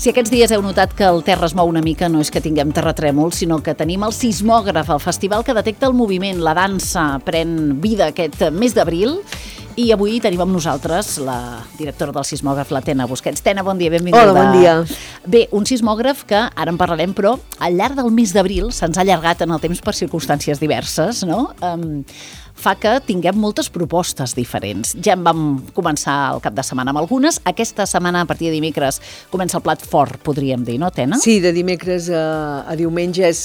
Si aquests dies heu notat que el terra es mou una mica, no és que tinguem terratrèmols, sinó que tenim el sismògraf, el festival que detecta el moviment, la dansa, pren vida aquest mes d'abril. I avui tenim amb nosaltres la directora del sismògraf, la Tena Busquets. Tena, bon dia, benvinguda. Hola, bon dia. Bé, un sismògraf que ara en parlarem, però al llarg del mes d'abril se'ns ha allargat en el temps per circumstàncies diverses, no? Fa que tinguem moltes propostes diferents. Ja en vam començar el cap de setmana amb algunes. Aquesta setmana, a partir de dimecres, comença el plat fort, podríem dir, no, Tena? Sí, de dimecres a diumenge és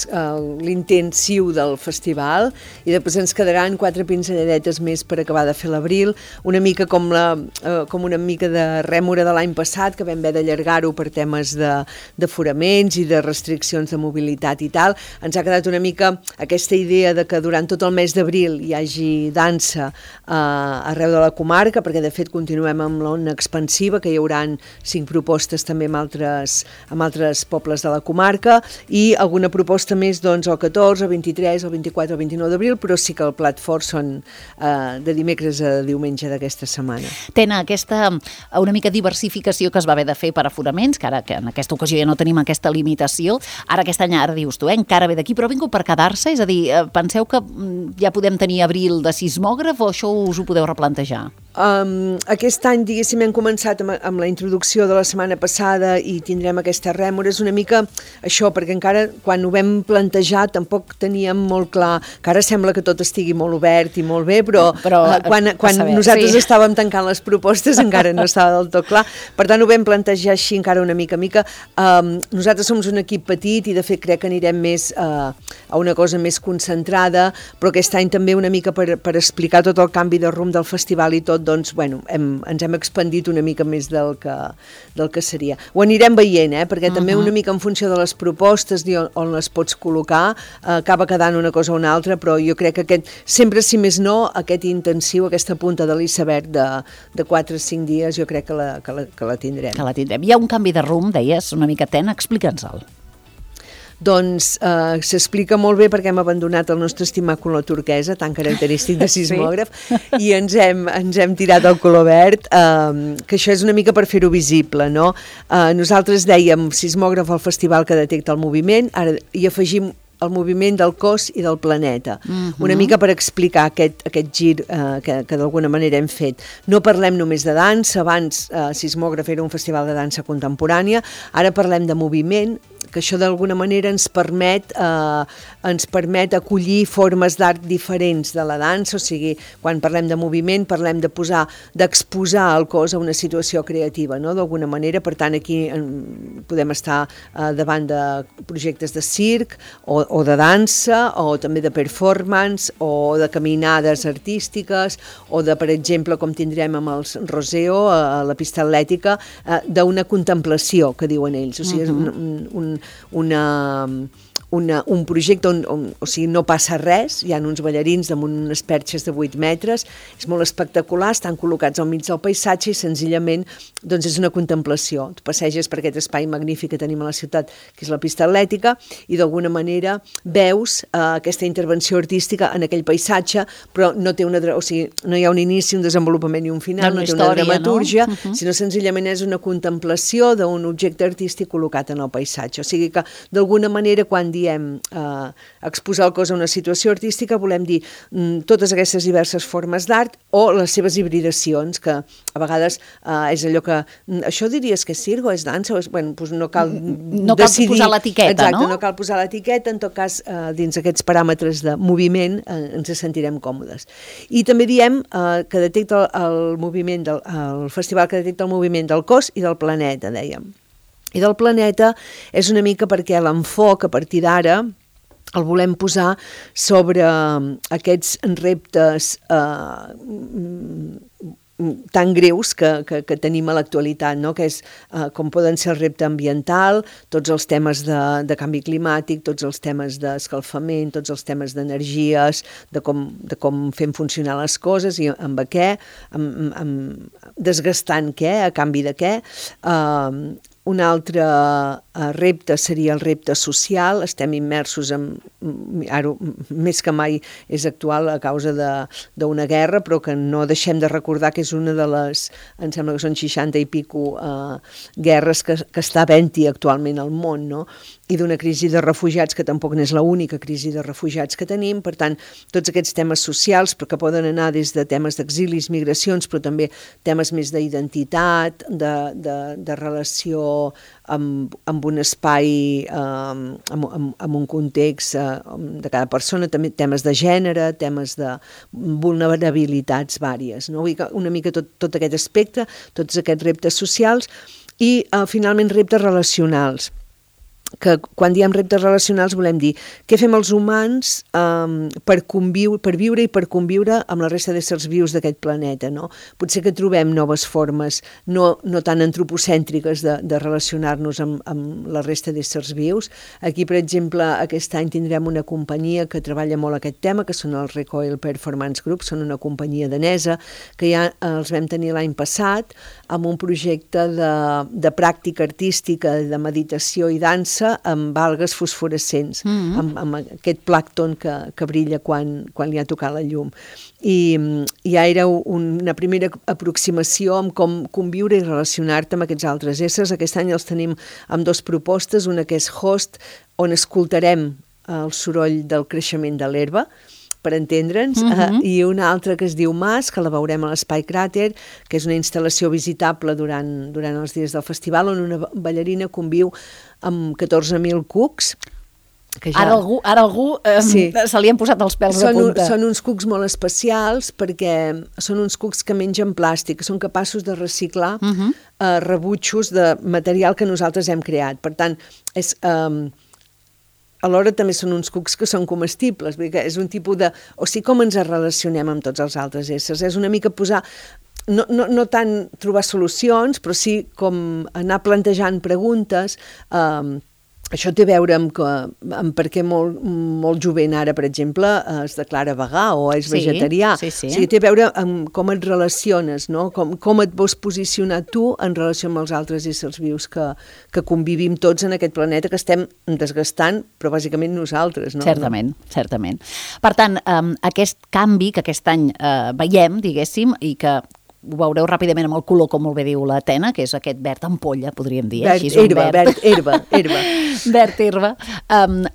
l'intensiu del festival i després ens quedaran 4 pinzelladetes més per acabar de fer l'abril, una mica com una mica de rèmora de l'any passat, que vam haver d'allargar-ho per temes d'aforaments i de restriccions de mobilitat i tal. Ens ha quedat una mica aquesta idea de que durant tot el mes d'abril hi hagi dansa arreu de la comarca, perquè de fet continuem amb l'ona expansiva, que hi haurà 5 propostes també amb altres pobles de la comarca, i alguna proposta més doncs el 14, el 23, el 24, el 29 d'abril, però sí que el plat fort són de dimecres a diumenge d'aquesta setmana. Tena, aquesta una mica diversificació que es va haver de fer per aforaments, que ara que en aquesta ocasió ja no tenim aquesta limitació, ara aquest any, ara dius tu, encara ve d'aquí, però ha vingut per quedar-se? És a dir, penseu que ja podem tenir abril de sismògraf o això us ho podeu replantejar? Aquest any, diguéssim, hem començat amb la introducció de la setmana passada i tindrem aquesta rèmora. És una mica això, perquè encara quan ho vam plantejar tampoc teníem molt clar, que ara sembla que tot estigui molt obert i molt bé, però quan nosaltres estàvem tancant les propostes encara no estava del tot clar. Per tant, ho vam plantejar així encara una mica. Nosaltres som un equip petit i de fet crec que anirem més a una cosa més concentrada, però aquest any també una mica per explicar tot el canvi de rumb del festival i tot, doncs, bueno, ens hem expandit una mica més del que seria. Ho anirem veient, perquè també una mica en funció de les propostes i on les pots col·locar, acaba quedant una cosa o una altra, però jo crec que sempre, si més no, aquest intensiu, aquesta punta de l'iceberg de 4 o 5 dies, jo crec que la tindrem. Que la tindrem. Hi ha un canvi de rumb, deies, una mica, Tena, explica'ns-el. Doncs s'explica molt bé perquè hem abandonat el nostre estimat color turquesa, tan característic de sismògraf, i ens hem tirat al color verd, que això és una mica per fer-ho visible, no? Nosaltres dèiem sismògraf al festival que detecta el moviment, ara hi afegim el moviment del cos i del planeta. Una mica per explicar aquest gir que d'alguna manera hem fet. No parlem només de dansa, abans Sismògraf era un festival de dansa contemporània, ara parlem de moviment, que això d'alguna manera ens permet acollir formes d'art diferents de la dansa, o sigui, quan parlem de moviment parlem d'exposar el cos a una situació creativa, no? D'alguna manera. Per tant, aquí podem estar davant de projectes de circ o de dansa, o també de performance, o de caminades artístiques, o de, per exemple, com tindrem amb els Roseo, a la pista atlètica, d'una contemplació, que diuen ells. O sigui, és un projecte on o sigui, no passa res, hi ha uns ballarins damunt unes perxes de 8 metres, és molt espectacular, estan col·locats al mig del paisatge i senzillament doncs és una contemplació. Tu passeges per aquest espai magnífic que tenim a la ciutat, que és la pista atlètica, i d'alguna manera veus aquesta intervenció artística en aquell paisatge, però no té no hi ha un inici, un desenvolupament i un final, no té una dramatúrgia, sinó senzillament és una contemplació d'un objecte artístic col·locat en el paisatge. O sigui que d'alguna manera quan diem exposar el cos a una situació artística volem dir totes aquestes diverses formes d'art o les seves hibridacions, que a vegades és allò que això diries que és circ o és dansa, doncs no cal decidir. Posar l'etiqueta, exacte, no? No cal posar l'etiqueta, en tot cas dins aquests paràmetres de moviment ens sentirem còmodes. I també diem que detecta el moviment el festival que detecta el moviment del cos i del planeta, dèiem. I del planeta és una mica perquè l'enfoc a partir d'ara el volem posar sobre aquests reptes tan greus que tenim a l'actualitat, no? Que és com poden ser el repte ambiental, tots els temes de canvi climàtic, tots els temes d'escalfament, tots els temes d'energies, de com fem funcionar les coses i amb què, desgastant què, a canvi de què, Un altre repte seria el repte social. Estem immersos ara més que mai és actual a causa d'una guerra, però que no deixem de recordar que és una de les, em sembla que són 60 i pico guerres que està havent-hi actualment al món, no? I d'una crisi de refugiats que tampoc n'és l'única crisi de refugiats que tenim. Per tant, tots aquests temes socials, però que poden anar des de temes d'exilis, migracions, però també temes més d'identitat, de relació amb un espai, amb un context de cada persona, també temes de gènere, temes de vulnerabilitats vàries, no? Vull dir que una mica tot aquest aspecte, tots aquests reptes socials i finalment reptes relacionals, que quan diem reptes relacionals volem dir què fem els humans per viure i per conviure amb la resta d'éssers vius d'aquest planeta, no? Potser que trobem noves formes no tan antropocèntriques de relacionar-nos amb la resta d'éssers vius. Aquí, per exemple, aquest any tindrem una companyia que treballa molt aquest tema, que són els Recoil Performance Group, són una companyia danesa, que ja els vam tenir l'any passat amb un projecte de pràctica artística, de meditació i dansa amb algues fosforescents, amb aquest plàncton que brilla quan li ha tocat la llum. I ja era una primera aproximació amb com conviure i relacionar-te amb aquests altres éssers. Aquest any els tenim amb 2 propostes, una que és Host, on escoltarem el soroll del creixement de l'herba, per entendre'ns, i una altra que es diu Mas, que la veurem a l'Espai Cràter, que és una instal·lació visitable durant els dies del festival, on una ballarina conviu amb 14.000 cucs. Ara algú se li han posat els pèls a punta. Són uns cucs molt especials perquè són uns cucs que mengen plàstic, que són capaços de reciclar rebutjos de material que nosaltres hem creat. Per tant, alhora també són uns cucs que són comestibles, perquè és un tipus de... O sigui, com ens relacionem amb tots els altres éssers? És una mica posar... No tant trobar solucions, però sí com anar plantejant preguntes. Això té a veure amb per què molt jovent ara, per exemple, es declara vegà o és vegetarià. Sí. O sigui, té a veure amb com et relaciones, no? Com et vols posicionar tu en relació amb els altres éssers vius que convivim tots en aquest planeta que estem desgastant, però bàsicament nosaltres, no? Certament. Per tant, aquest canvi que aquest any veiem, diguéssim, i que ho veureu ràpidament amb el color, com molt bé diu la Tena, que és aquest verd ampolla, podríem dir. Verd herba. Verd herba.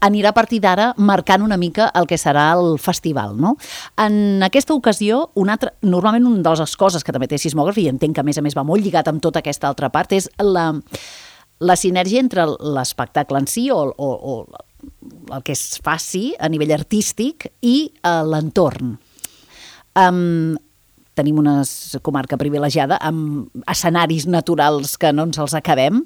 Anirà a partir d'ara marcant una mica el que serà el festival, no? En aquesta ocasió, normalment una de les coses que també té Sismògraf, i entenc que a més va molt lligat amb tota aquesta altra part, és la sinergia entre l'espectacle en si o el que es faci a nivell artístic i l'entorn. Tenim una comarca privilegiada amb escenaris naturals que no ens els acabem.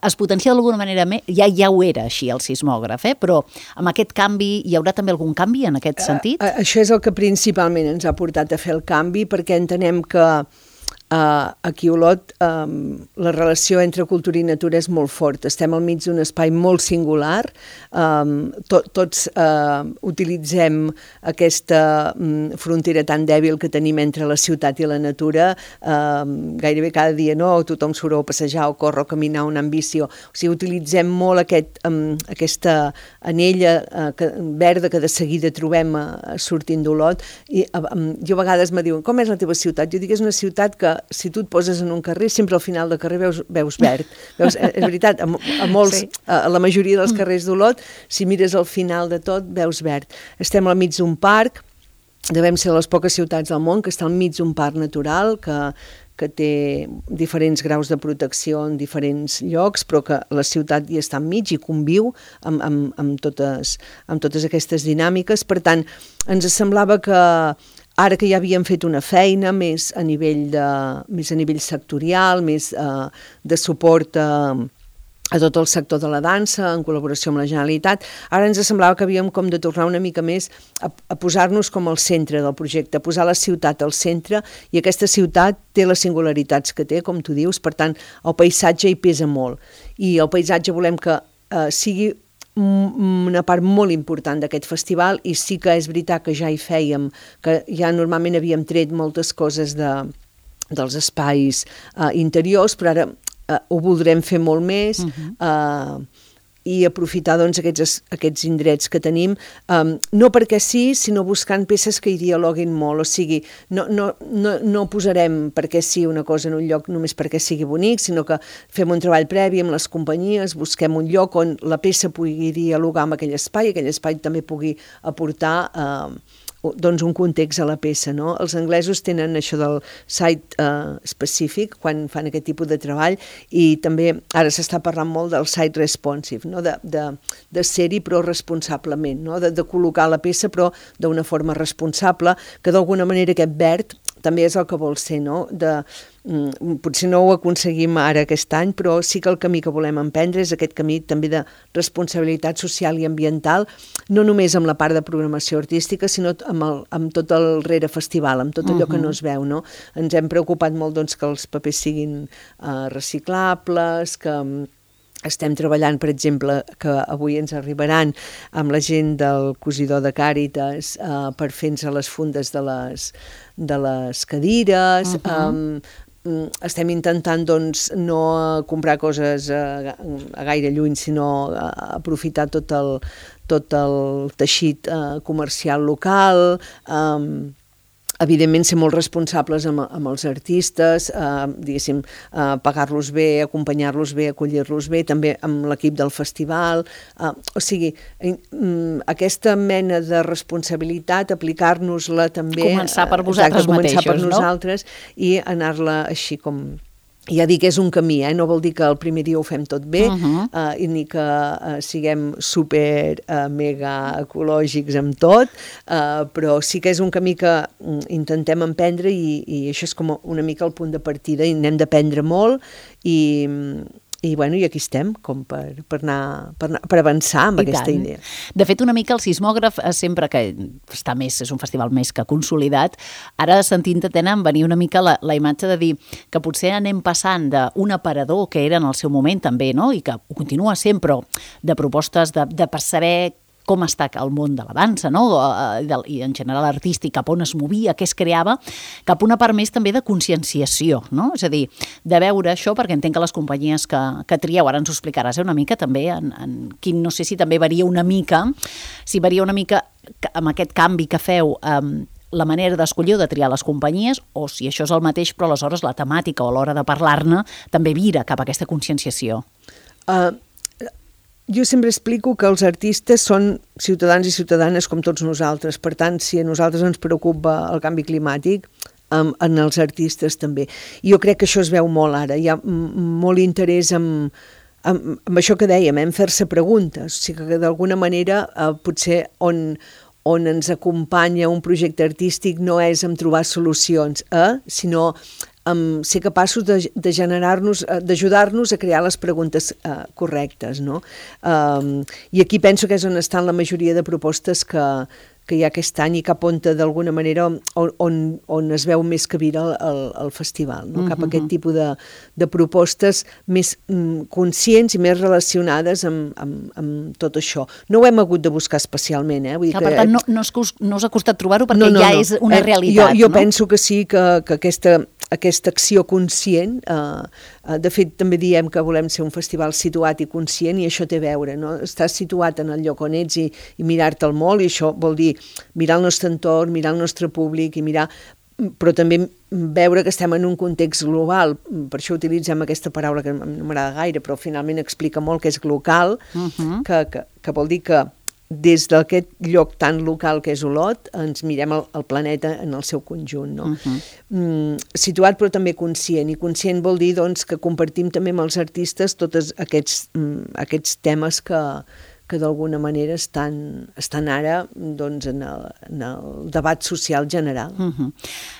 Es potencia d'alguna manera, ja ho era així el sismògraf, però amb aquest canvi hi haurà també algun canvi en aquest sentit? Això és el que principalment ens ha portat a fer el canvi, perquè entenem que aquí a Olot la relació entre cultura i natura és molt forta. Estem al mig d'un espai molt singular, tots utilitzem aquesta frontera tan dèbil que tenim entre la ciutat i la natura, gairebé cada dia, no? Tothom surt a passejar o córrer o caminar o anar amb bici, o sigui, utilitzem molt aquesta anella verda que de seguida trobem sortint d'Olot, i jo a vegades me diuen, com és la teva ciutat? Jo dic, és una ciutat que si tu et poses en un carrer, sempre al final del carrer veus verd. És veritat, a la majoria dels carrers d'Olot, si mires al final de tot, veus verd. Estem al mig d'un parc, devem ser les poques ciutats del món que està al mig d'un parc natural, que té diferents graus de protecció en diferents llocs, però que la ciutat hi està enmig i conviu amb totes aquestes dinàmiques. Per tant, ens semblava que ara que ja havíem fet una feina més a nivell sectorial, més de suport a tot el sector de la dansa, en col·laboració amb la Generalitat, ara ens semblava que havíem com de tornar una mica més a posar-nos com al centre del projecte, a posar la ciutat al centre, i aquesta ciutat té les singularitats que té, com tu dius, per tant, el paisatge hi pesa molt. I el paisatge volem que sigui una part molt important d'aquest festival, i sí que és veritat que ja hi fèiem, que ja normalment havíem tret moltes coses dels espais interiors, però ara ho voldrem fer molt més, i aprofitar doncs, aquests indrets que tenim, no perquè sí, sinó buscant peces que hi dialoguin molt, o sigui, no posarem perquè sí una cosa en un lloc només perquè sigui bonic, sinó que fem un treball previ amb les companyies, busquem un lloc on la peça pugui dialogar amb aquell espai també pugui aportar doncs un context a la peça, no? Els anglesos tenen això del site específic quan fan aquest tipus de treball, i també ara s'està parlant molt del site responsive, no? de ser-hi però responsablement, no? de col·locar la peça però d'una forma responsable, que d'alguna manera aquest verd també és el que vol ser, no? Potser no ho aconseguim ara aquest any, però sí que el camí que volem emprendre és aquest camí també de responsabilitat social i ambiental, no només amb la part de programació artística, sinó amb tot el rere festival, amb tot allò que no es veu, no? Ens hem preocupat molt doncs, que els papers siguin reciclables, que estem treballant, per exemple, que avui ens arribaran amb la gent del cosidor de Càritas per fer-nos les fundes de les cadires. Estem intentant doncs, no comprar coses a gaire lluny, sinó aprofitar tot el teixit comercial local, evidentment ser molt responsables amb els artistes, diguéssim, pagar-los bé, acompanyar-los bé, acollir-los bé, també amb l'equip del festival, o sigui, aquesta mena de responsabilitat, aplicar-nos-la també... Començar per vosaltres mateixos, no? Començar per nosaltres i anar-la així com... Ja dic que és un camí, no vol dir que el primer dia ho fem tot bé, ni que siguem super mega ecològics amb tot, però sí que és un camí que intentem emprendre i això és com una mica el punt de partida, i n'hem d'aprendre molt i aquí estem com per avançar amb aquesta idea. De fet, una mica el sismògraf, sempre que està més, és un festival més que consolidat, ara sentint-te tenen venir una mica la imatge de dir que potser anem passant d'un aparador que era en el seu moment també, no? I que ho continua sent, però de propostes de per saber com està el món de la dansa, no? I en general artístic, cap on es movia, què es creava, cap una part més també de conscienciació, no? És a dir, de veure això, perquè entenc que les companyies que trieu, ara ens ho explicaràs una mica també, en quin, no sé si també varia una mica, amb aquest canvi que feu, la manera d'escollir o de triar les companyies, o si això és el mateix, però aleshores la temàtica o a l'hora de parlar-ne també vira cap a aquesta conscienciació. Jo sempre explico que els artistes són ciutadans i ciutadanes com tots nosaltres. Per tant, si a nosaltres ens preocupa el canvi climàtic, en els artistes també. I jo crec que això es veu molt ara. Hi ha molt interès amb això que dèiem, en fer-se preguntes. O sigui que d'alguna manera potser on ens acompanya un projecte artístic no és en trobar solucions, sinó ser capaços de generar-nos, d'ajudar-nos a crear les preguntes correctes, no? I aquí penso que és on estan la majoria de propostes que hi ha aquest any i cap on d'alguna manera on es veu més cabida el festival, no? Cap a aquest tipus de propostes més conscients i més relacionades amb tot això. No ho hem hagut de buscar especialment, Vull dir per tant, no us ha costat trobar-ho perquè ja és una realitat, jo penso que sí, que aquesta acció conscient, de fet també diem que volem ser un festival situat i conscient, i això té a veure, no? Estar situat en el lloc on ets i mirar-te'l molt, i això vol dir mirar el nostre entorn, mirar el nostre públic, però també veure que estem en un context global. Per això utilitzem aquesta paraula que no m'agrada gaire, però finalment explica molt, que és glocal, que vol dir que des d'aquest lloc tan local que és Olot, ens mirem el planeta en el seu conjunt, no? Situat però també conscient, i conscient vol dir doncs, que compartim també amb els artistes tots aquests temes que d'alguna manera estan ara doncs, en el debat social general.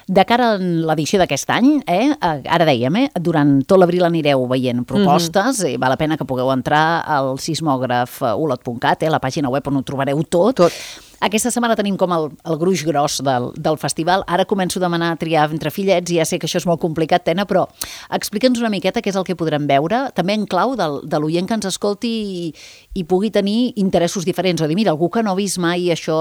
De cara a l'edició d'aquest any, ara dèiem, durant tot l'abril anireu veient propostes, i val la pena que pugueu entrar al sismògraf olot.cat, la pàgina web on ho trobareu tot. Aquesta setmana tenim com el gruix gros del festival. Ara començo a demanar a triar entre fillets i ja sé que això és molt complicat, Tena, però explica'ns una miqueta què és el que podrem veure, també en clau de l'oient que ens escolti i pugui tenir interessos diferents, o dir, mira, algú que no ha vist mai això,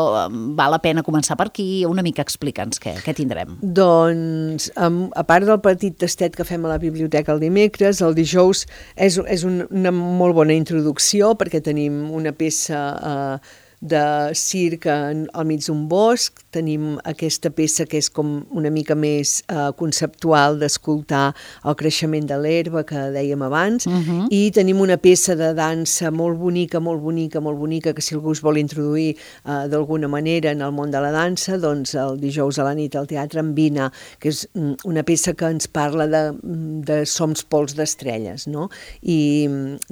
val la pena començar per aquí, una mica explica'ns què tindrem. Doncs, a part del petit tastet que fem a la biblioteca el dimecres, el dijous és una molt bona introducció perquè tenim una peça de circ al mig d'un bosc, tenim aquesta peça que és com una mica més conceptual d'escoltar el creixement de l'herba que dèiem abans, i tenim una peça de dansa molt bonica, que si algú es vol introduir d'alguna manera en el món de la dansa, doncs el dijous a la nit al Teatre Envina, que és una peça que ens parla de Som pols d'estrelles, no? I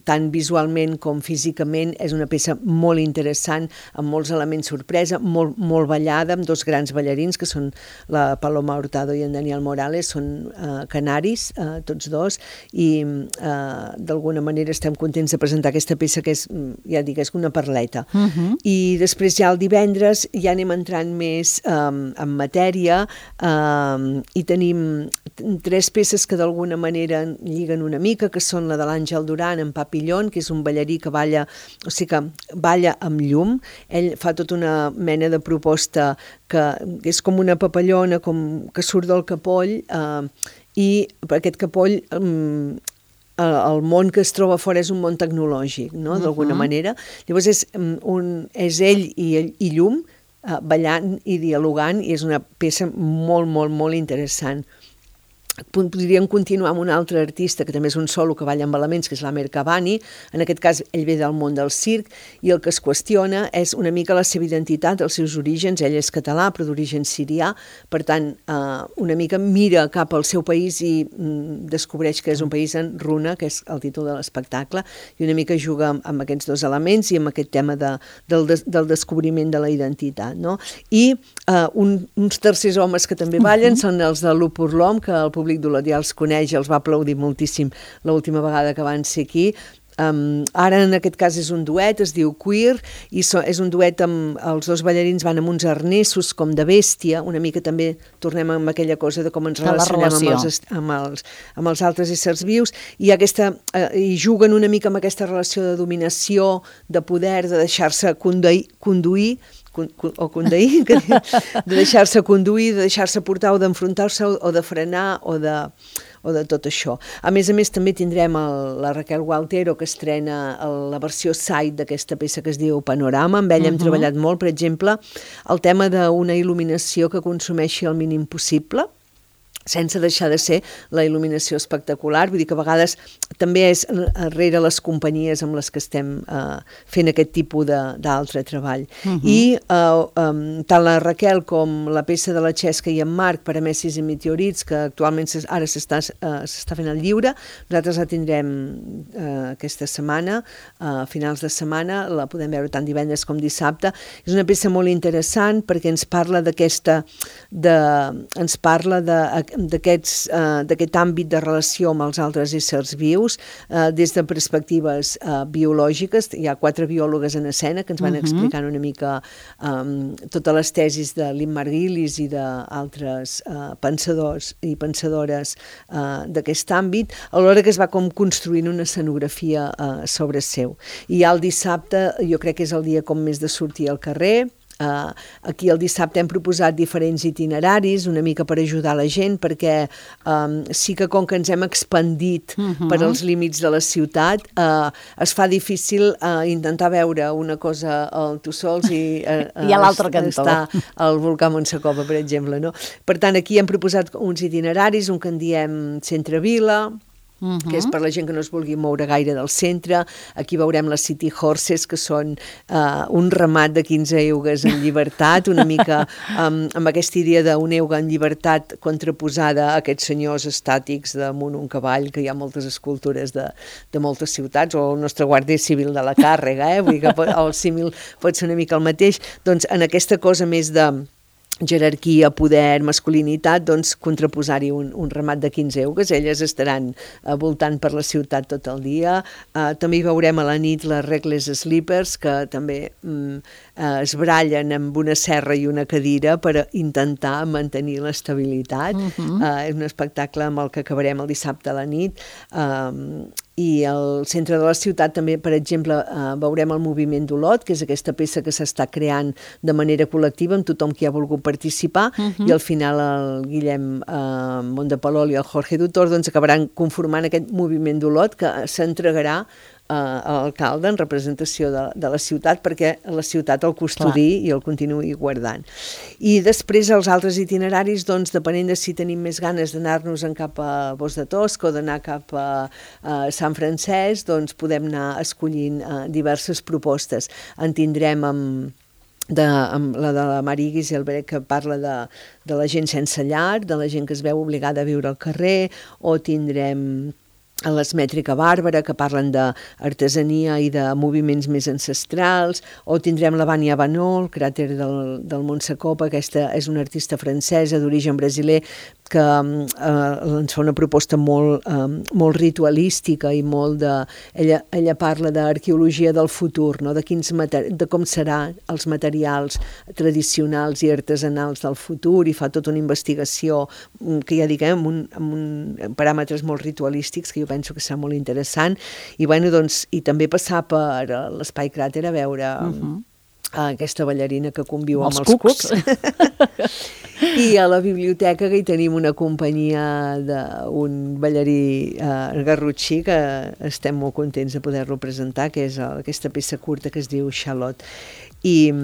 tant visualment com físicament és una peça molt interessant, amb molts elements sorpresa, molt ballada, amb dos grans ballarins, que són la Paloma Hurtado i en Daniel Morales, són canaris, tots dos, i d'alguna manera estem contents de presentar aquesta peça que és, ja dic, és una perleta. I després ja el divendres ja anem entrant més en matèria i tenim 3 peces que d'alguna manera lliguen una mica, que són la de l'Àngel Duran en Papillon, que és un ballarí que balla, o sigui que balla amb llum. Ell fa tota una mena de proposta que és com una papallona que surt del capoll i aquest capoll el món que es troba fora és un món tecnològic, no? D'alguna manera. Llavors és ell i llum ballant i dialogant i és una peça molt interessant. Podríem continuar amb un altre artista que també és un solo que balla amb elements, que és l'Amer Cavani. En aquest cas ell ve del món del circ i el que es qüestiona és una mica la seva identitat, els seus orígens. Ell és català però d'origen sirià, per tant una mica mira cap al seu país i descobreix que és un país en runa, que és el títol de l'espectacle, i una mica juga amb aquests dos elements i amb aquest tema del descobriment de la identitat, no? I uns tercers homes que també ballen són els de l'U per l'Hom, que el públic d'Oladià els coneix, els va aplaudir moltíssim l'última vegada que van ser aquí. Ara en aquest cas és un duet, es diu Queer, i és un duet amb els dos ballarins van amb uns arnessos com de bèstia, una mica també tornem amb aquella cosa de com ens relacionem amb els altres éssers vius, i juguen una mica amb aquesta relació de dominació, de poder, de deixar-se conduir, de deixar-se conduir, de deixar-se portar o d'enfrontar-se o de frenar o de tot això. A més també tindrem la Raquel Gualtero, que estrena la versió side d'aquesta peça que es diu Panorama. Amb ella hem treballat molt, per exemple, el tema d'una il·luminació que consumeixi el mínim possible, sense deixar de ser la il·luminació espectacular. Vull dir que a vegades també és rere les companyies amb les que estem fent aquest tipus d'altre treball. I tant la Raquel com la peça de la Xesca i en Marc, Paramecis i Meteorits, que actualment ara s'està fent al lliure, nosaltres la tindrem aquesta setmana, a finals de setmana, la podem veure tant divendres com dissabte. És una peça molt interessant perquè ens parla d'aquest àmbit de relació amb els altres éssers vius des de perspectives biològiques. Hi ha 4 biòlogues en escena que ens van explicant una mica totes les tesis de Lynn Margulis i d'altres pensadors i pensadores d'aquest àmbit, alhora que es va com construint una escenografia sobre seu. I el dissabte jo crec que és el dia com més de sortir al carrer. Aquí el dissabte hem proposat diferents itineraris, una mica per ajudar la gent, perquè sí que com que ens hem expandit per als límits de la ciutat, es fa difícil intentar veure una cosa al Tussols i a l'altre cantó està al volcà Montsecova, per exemple, no? Per tant, aquí hem proposat uns itineraris, un que en diem Centre-Vila, que és per la gent que no es vulgui moure gaire del centre. Aquí veurem les City Horses, que són un ramat de 15 eugues en llibertat, una mica amb aquesta idea d'una euga en llibertat contraposada a aquests senyors estàtics damunt un cavall, que hi ha moltes escultures de moltes ciutats, o el nostre guàrdia civil de la càrrega, vull dir que el símil pot ser una mica el mateix. Doncs en aquesta cosa més jerarquia, poder, masculinitat, doncs contraposar-hi un ramat de 15 eugues. Elles estaran voltant per la ciutat tot el dia. També hi veurem a la nit les regles sleepers, que també es brallen amb una serra i una cadira per intentar mantenir l'estabilitat. És un espectacle amb el que acabarem el dissabte a la nit. I al centre de la ciutat també, per exemple, veurem el moviment d'Olot, que és aquesta peça que s'està creant de manera col·lectiva amb tothom que hi ha volgut participar, i al final el Guillem Montepalol i el Jorge Dutor doncs acabaran conformant aquest moviment d'Olot que s'entregarà a l'alcalde en representació de la ciutat perquè la ciutat el custodiï i el continuï guardant. I després els altres itineraris, doncs, depenent de si tenim més ganes d'anar-nos cap a Bos de Tosca o d'anar cap a Sant Francesc, doncs podem anar escollint diverses propostes. En tindrem amb la de la Mari Giselbrecht, que parla de la gent sense llar, de la gent que es veu obligada a viure al carrer, o tindrem a l'Esmètrica Bàrbara, que parlen d'artesania i de moviments més ancestrals, o tindrem la Vania Banol, cràter del Montsecopa, aquesta és una artista francesa d'origen brasiler, que ens fa una proposta molt ritualística i molt de... Ella parla d'arqueologia del futur, no? De com seran els materials tradicionals i artesanals del futur, i fa tota una investigació que ja diguem amb paràmetres molt ritualístics, que jo penso que serà molt interessant, i bueno, doncs, i també passar per l'Espai Cràter a veure aquesta ballarina que conviu amb els cucs. I a la biblioteca que hi tenim una companyia d'un ballarí garrotxí que estem molt contents de poder-lo presentar, que és aquesta peça curta que es diu Xalot. I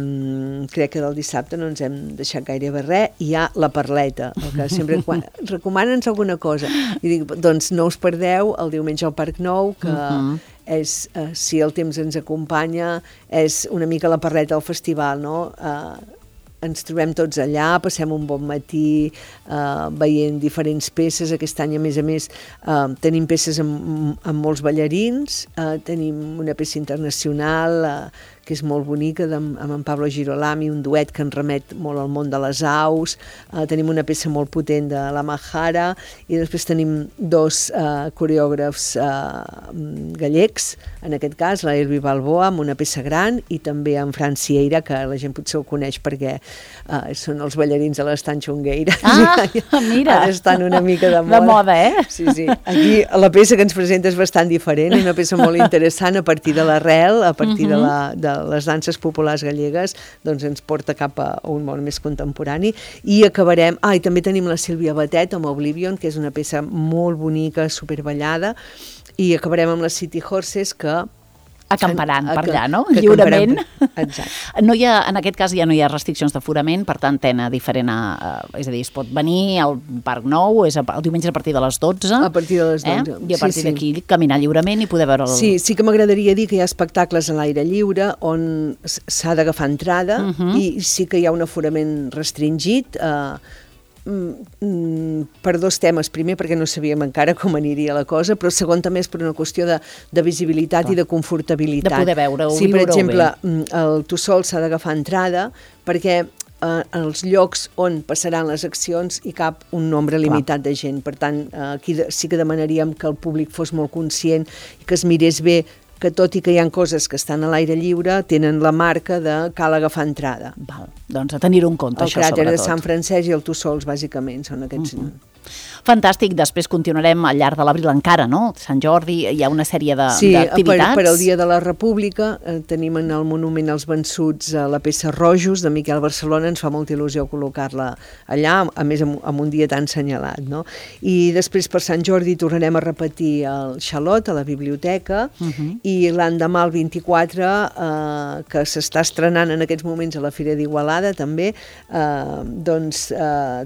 crec que del dissabte no ens hem deixat gairebé res. Hi ha la Parleta, el que sempre recomana'ns alguna cosa. I dic, doncs no us perdeu el diumenge al Parc Nou, que és, si el temps ens acompanya, és una mica la Parleta del festival, no? Ens trobem tots allà, passem un bon matí veient diferents peces. Aquest any, a més, tenim peces amb molts ballarins, tenim una peça internacional que és molt bonica, amb en Pablo Girolami, un duet que ens remet molt al món de les aus, tenim una peça molt potent de la Mahara, i després tenim dos coreògrafs gallecs, en aquest cas, la Elvi Balboa, amb una peça gran, i també en Fran Sieira, que la gent potser ho coneix perquè són els ballarins de l'Estan Xungueira. Mira! Ara estan una mica de moda. De moda, Sí. Aquí la peça que ens presenta és bastant diferent, una peça molt interessant a partir de l'arrel, a partir de les danses populars gallegues, doncs ens porta cap a un món més contemporani. I acabarem... i també tenim la Sílvia Batet amb Oblivion, que és una peça molt bonica, superballada, i acabarem amb les City Horses, que acamparan per allà, no? Lliurement. Exacte. En aquest cas ja no hi ha restriccions d'aforament, per tant, tena diferent, és a dir, es pot venir al Parc Nou, és el diumenge a partir de les 12. A partir de les 12. I a partir d'aquí caminar lliurement i poder veure el... Sí que m'agradaria dir que hi ha espectacles a l'aire lliure on s'ha d'agafar entrada, i sí que hi ha un aforament restringit, per dos temes. Primer, perquè no sabíem encara com aniria la cosa, però segon també és per una qüestió de visibilitat i de confortabilitat. De poder veure-ho, sí, per exemple, el Tossol s'ha d'agafar entrada perquè els llocs on passaran les accions hi cap un nombre limitat de gent. Per tant, aquí sí que demanaríem que el públic fos molt conscient i que es mirés bé que tot i que hi ha coses que estan a l'aire lliure, tenen la marca de cal agafar entrada. Val, doncs a tenir-ho en compte, això sobretot. El cràter de Sant Francesc i el Tussols, bàsicament, són aquests... Fantàstic, després continuarem al llarg de l'abril encara, no? Sant Jordi, hi ha una sèrie d'activitats. Sí, per al Dia de la República tenim en el Monument als Vençuts la peça Rojos de Miquel Barcelona, ens fa molta il·lusió col·locar-la allà, a més amb un dia tan senyalat, no? I després per Sant Jordi tornarem a repetir el Xalot a la biblioteca, i l'endemà el 24, que s'està estrenant en aquests moments a la Fira d'Igualada també, doncs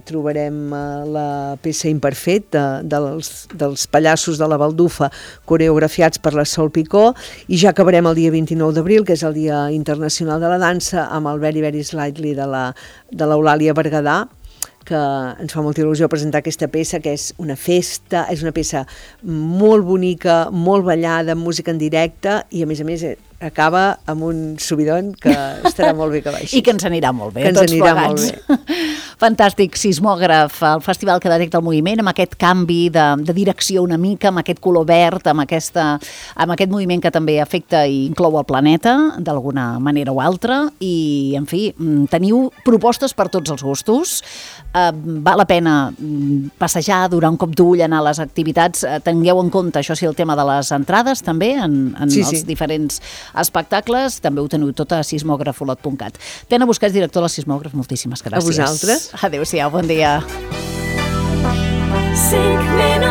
trobarem la peça Imperfet dels pallassos de la Baldufa coreografiats per la Sol Picó, i ja acabarem el dia 29 d'abril, que és el Dia Internacional de la Dansa, amb el Very Very Slightly de l'Eulàlia Berguedà, que ens fa molta il·lusió presentar aquesta peça, que és una festa, és una peça molt bonica, molt ballada, amb música en directe, i a més acaba amb un subidon que estarà molt bé que baixi. I que ens anirà molt bé, que ens tots anirà plegats. molt bé. Fantàstic, Sismògraf, el festival que detecta el moviment amb aquest canvi de direcció una mica, amb aquest color verd, amb aquest moviment que també afecta i inclou el planeta, d'alguna manera o altra, i, en fi, teniu propostes per tots els gustos. Val la pena passejar, durar un cop d'ull, anar a les activitats. Tingueu en compte, això sí, el tema de les entrades, també, en els diferents espectacles. També ho teniu tot a sismògrafolot.cat. Tena Busquets, director de la Sismògraf, moltíssimes gràcies. A vosaltres. Adéu-siau, bon dia. 5 minuts.